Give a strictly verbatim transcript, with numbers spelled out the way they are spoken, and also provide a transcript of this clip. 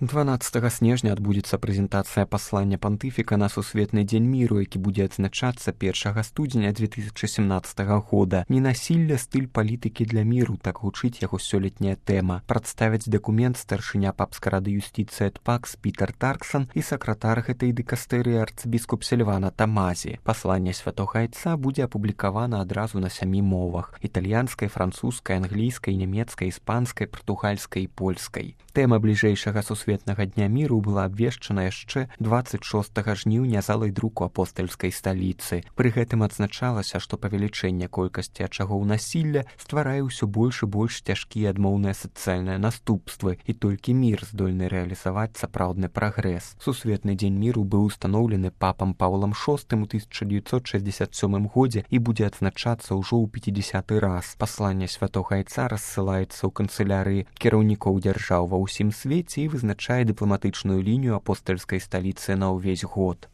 дванаццатага снежня адбудзецца прэзентацыя паслання пантыфіка на сусветны дзень міру, які будзе адзначацца першага студзеня две тысячы сямнаццатага года. «Ненасілле, стыль палітыкі для міру» — так гучыць яго сёлетняя тэма. Прадставяць дакумент старшыня папскай рады юстыцыі эт пакс Пітер Тарксон і сакратар гэтай дыкастэрыі арцыбіскуп Сільвана Тамазі. Пасланне святога айца будзе апублікавана адразу на сямі мовах: італьянскай, французскай, англійскай, нямецкай, іспанскай, партугальскай і польскай. Тэма бліжэйшага сусветнага дня міру была абвешчана яшчэ дваццаць шостага жніўня залай друку апостальскай сталіцы. Пры гэтым адзначалася, што павелічэнне колькасці ачагоў насілля стварае ўсё больш і больш цяжкія адмоўныя сацыяльныя наступствы, і толькі мір здольны рэалізаваць сапраўдны прагрэс. Сусветны дзень міру быў устаноўлены папам Паўлам шостым у тысяча дзевяцьсот шэсцьдзесят сёмым годзе і будзе адзначацца ўжо ў пяцідзясяты раз. Пасланне святога айца рассылаецца ў канцылярыі кіраўнікоў дзяржаў ва ўсім свеце і вызначае дыпламатычную лінію апостальскай сталіцы на ўвесь год.